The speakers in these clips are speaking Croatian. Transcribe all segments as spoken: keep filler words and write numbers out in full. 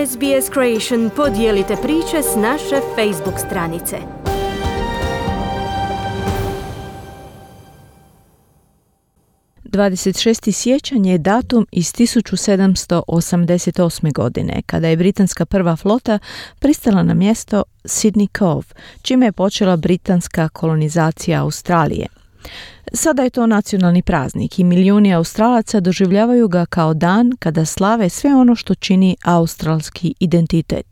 S B S Creation podijelite priče s naše Facebook stranice. dvadeset šesti siječanj je datum iz tisuću sedamsto osamdeset osme. godine, kada je britanska prva flota pristala na mjesto Sydney Cove, čime je počela britanska kolonizacija Australije. Sada je to nacionalni praznik i milijuni Australaca doživljavaju ga kao dan kada slave sve ono što čini australski identitet.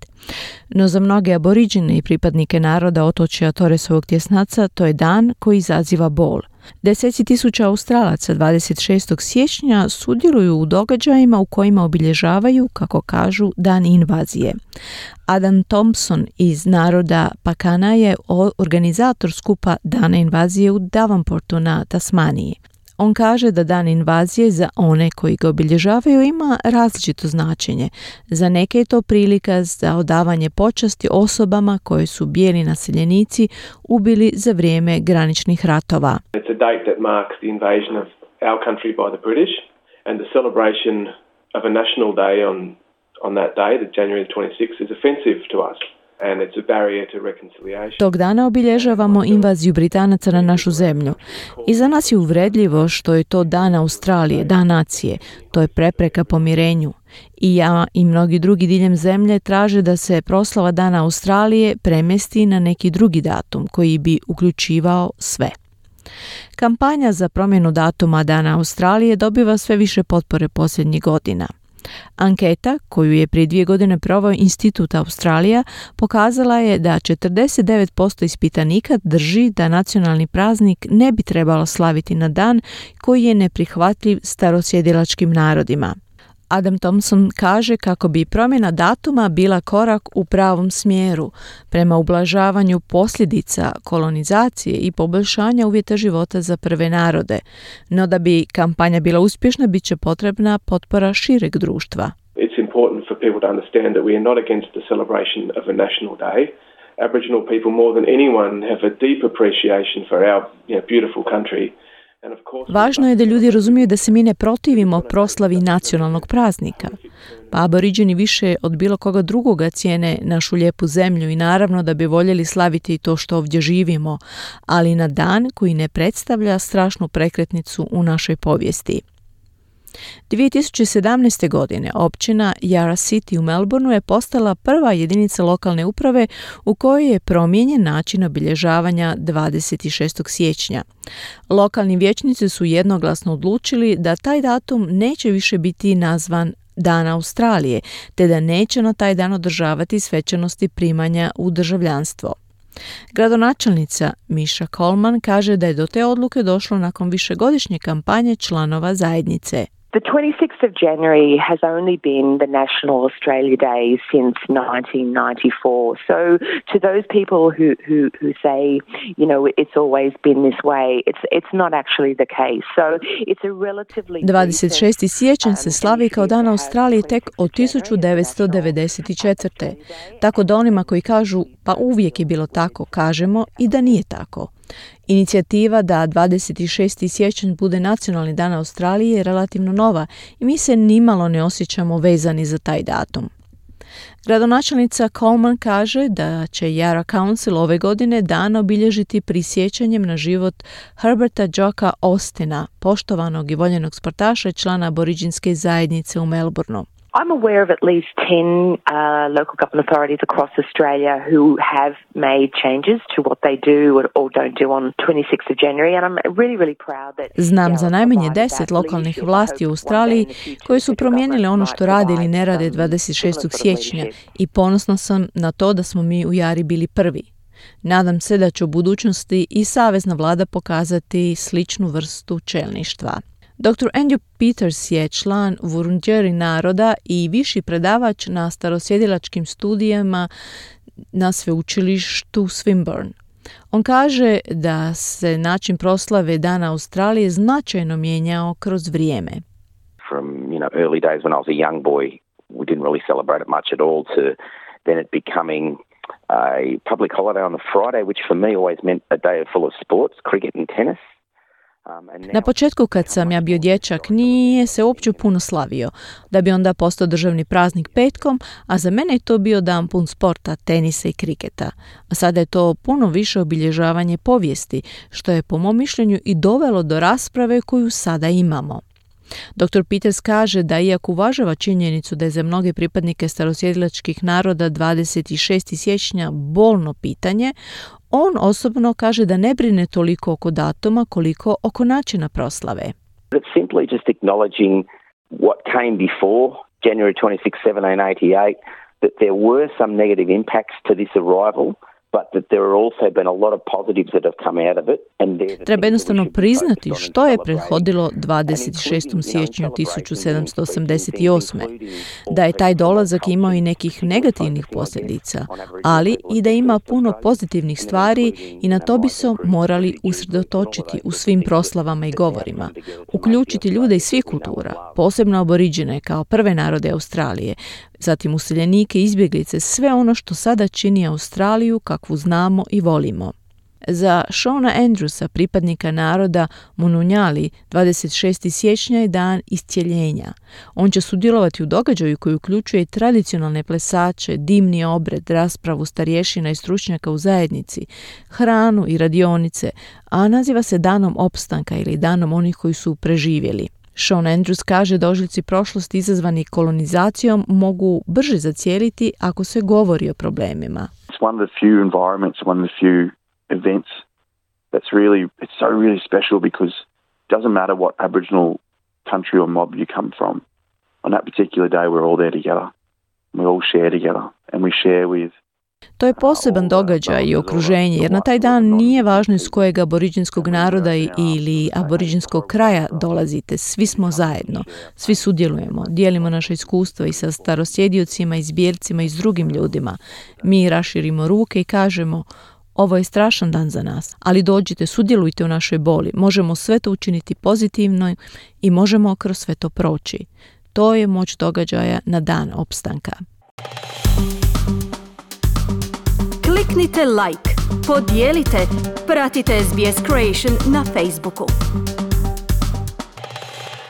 No za mnoge aboriđine i pripadnike naroda otočja Torresovog tjesnaca to je dan koji izaziva bol. Deseci tisuća Australaca dvadeset šestog siječnja sudjeluju u događajima u kojima obilježavaju, kako kažu, dan invazije. Adam Thompson iz naroda Pakana je organizator skupa Dana invazije u Devonportu na Tasmaniji. On kaže da dan invazije za one koji ga obilježavaju ima različito značenje. Za neke je to prilika za odavanje počasti osobama koje su bijeli naseljenici ubili za vrijeme graničnih ratova. It's a date that marks the invasion of our country by the British and the celebration of a national day on on that day, the January twenty-sixth, is offensive to us. Tog dana obilježavamo invaziju Britanaca na našu zemlju. I za nas je uvredljivo što je to dan Australije, dan nacije. To je prepreka pomirenju. I ja i mnogi drugi diljem zemlje traže da se proslava dana Australije premjesti na neki drugi datum koji bi uključivao sve. Kampanja za promjenu datuma Dana Australije dobiva sve više potpore posljednjih godina. Anketa, koju je prije dvije godine proveo Institut Australija, pokazala je da četrdeset devet posto ispitanika drži da nacionalni praznik ne bi trebalo slaviti na dan koji je neprihvatljiv starosjedilačkim narodima. Adam Thompson kaže kako bi promjena datuma bila korak u pravom smjeru prema ublažavanju posljedica kolonizacije i poboljšanja uvjeta života za prve narode. No da bi kampanja bila uspješna, bit će potrebna potpora šireg društva. It's important for people to understand that we are not against the celebration of a national day. Aboriginal people more than anyone have a deep appreciation for our, you know, beautiful country. Važno je da ljudi razumiju da se mi ne protivimo proslavi nacionalnog praznika. Pa aboriđeni više od bilo koga drugoga cijene našu lijepu zemlju i naravno da bi voljeli slaviti to što ovdje živimo, ali na dan koji ne predstavlja strašnu prekretnicu u našoj povijesti. dvije tisuće sedamnaeste. godine općina Yarra City u Melbourneu je postala prva jedinica lokalne uprave u kojoj je promijenjen način obilježavanja dvadeset šestog siječnja. Lokalni vijećnici su jednoglasno odlučili da taj datum neće više biti nazvan Dan Australije, te da neće na taj dan održavati svečanosti primanja u državljanstvo. Gradonačelnica Misha Coleman kaže da je do te odluke došlo nakon višegodišnje kampanje članova zajednice. The twenty-sixth of January has only been the National Australia Day since nineteen ninety-four. So to those people who, who, who say, you know, it's always been this way, it's, it's not actually the case. So it's a relatively... dvadeset šesti siječanj se slavi kao Dan Australije tek od tisuću devetsto devedeset četvrte. Tako da onima koji kažu pa uvijek je bilo tako, kažemo i da nije tako. Inicijativa da dvadeset šesti siječanj bude nacionalni dan Australije je relativno nova i mi se nimalo ne osjećamo vezani za taj datum. Gradonačelnica Coleman kaže da će Yarra Council ove godine dan obilježiti prisjećanjem na život Herberta Joka Austina, poštovanog i voljenog sportaša i člana aboriđinske zajednice u Melbourneu. I'm aware of at least ten uh, local government authorities across Australia who have made changes to what they do or, or don't do on twenty-sixth of January, and I'm really, really proud that... Znam za najmanje deset lokalnih vlasti u Australiji koji su promijenili ono što rade ili ne rade dvadeset šestog siječnja i ponosna sam na to da smo mi u Yarri bili prvi. Nadam se da će u budućnosti i savezna vlada pokazati sličnu vrstu čelništva. doktor Andrew Peters je član Wurundjeri naroda i viši predavač na starosjedilačkim studijama na sveučilištu Swinburne. On kaže da se način proslave Dana Australije značajno mijenjao kroz vrijeme. From, you know, early days when I was a young boy, we didn't really celebrate it much at all, to then it becoming a public holiday on the Friday, which for me always meant a day full of sports, cricket and tennis. Na početku kad sam ja bio dječak nije se uopće puno slavio, da bi onda postao državni praznik petkom, a za mene je to bio dan pun sporta, tenisa i kriketa. A sada je to puno više obilježavanje povijesti, što je po mom mišljenju i dovelo do rasprave koju sada imamo. doktor Peters kaže da iako uvažava činjenicu da je za mnoge pripadnike starosjedilačkih naroda dvadeset šestog siječnja bolno pitanje, on osobno kaže da ne brine toliko oko datuma koliko oko načina proslave. It's simply just acknowledging what came before January twenty-sixth, seventeen eighty-eight, that there were some negative impacts to this arrival, but that there have also been a lot of positives that have come out of it. And treba jednostavno priznati što je prethodilo dvadeset šestom siječnju tisuću sedamsto osamdeset osme. Da je taj dolazak imao i nekih negativnih posljedica, ali i da ima puno pozitivnih stvari i na to bi se morali usredotočiti u svim proslavama i govorima. Uključiti ljude iz svih kultura, posebno aboriđene kao prve narode Australije, zatim useljenike, izbjeglice, sve ono što sada čini Australiju kakvu znamo i volimo. Za Shona Andrewsa, pripadnika naroda Mununjali, dvadeset šestog siječnja je dan iscijeljenja. On će sudjelovati u događaju koji uključuje tradicionalne plesače, dimni obred, raspravu starješina i stručnjaka u zajednici, hranu i radionice, a naziva se danom opstanka ili danom onih koji su preživjeli. Sean Andrews kaže da ožiljci prošlosti izazvani kolonizacijom mogu brže zacijeliti ako se govori o problemima. It's one of the few environments, one of the few events that's really, it's so really special because it doesn't matter what Aboriginal country or mob you come from. On that particular day we're all there together. We all share together and we share with. To je poseban događaj i okruženje, jer na taj dan nije važno iz kojeg aboriđinskog naroda ili aboriđinskog kraja dolazite. Svi smo zajedno, svi sudjelujemo, dijelimo naše iskustva i sa starosjediocima, izbjelcima i s drugim ljudima. Mi raširimo ruke i kažemo, ovo je strašan dan za nas, ali dođite, sudjelujte u našoj boli. Možemo sve to učiniti pozitivno i možemo kroz sve to proći. To je moć događaja na dan opstanka. Kliknite like, podijelite, pratite S B S Creation na Facebooku.